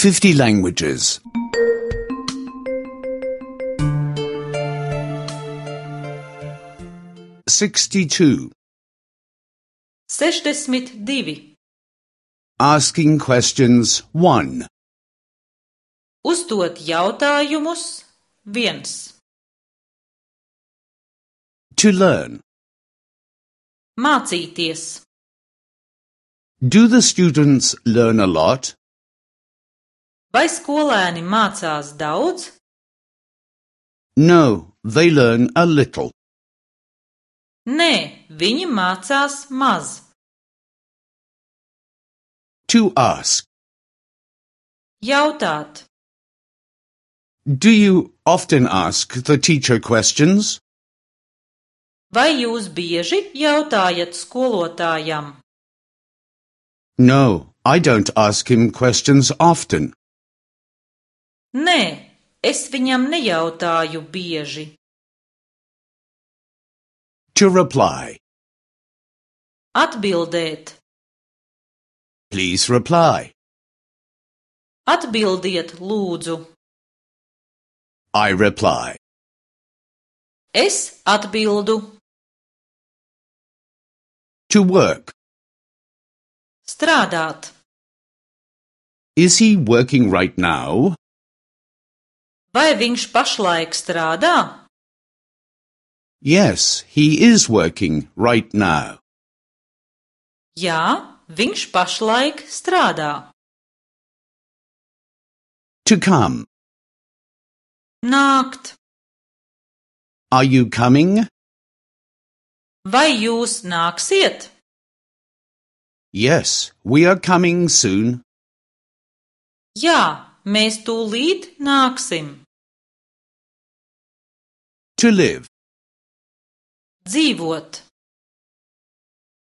50 languages. 62. 62. Asking questions 1. Uzdot jautājumus 1. To learn. Mācīties. Do the students learn a lot? Vai skolēni mācās daudz? No, they learn a little. Nē, viņi mācās maz. To ask. Jautāt. Do you often ask the teacher questions? Vai jūs bieži jautājat skolotājam? No, I don't ask him questions often. Nē, es viņam nejautāju bieži. To reply. Atbildēt. Please reply. Atbildiet, lūdzu. I reply. Es atbildu. To work. Strādāt. Is he working right now? Vai viņš pašlaik strādā? Yes, he is working right now. Jā, viņš pašlaik strādā. To come. Nākt. Are you coming? Vai jūs nāksiet? Yes, we are coming soon. Jā, mēs tūlīt nāksim. To live. Dzīvot.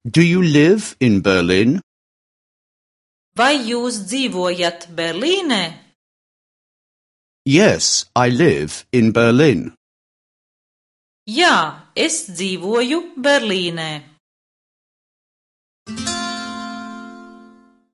Do you live in Berlin? Vai jūs dzīvojat Berlīnē? Yes, I live in Berlin. Jā, es dzīvoju Berlīnē.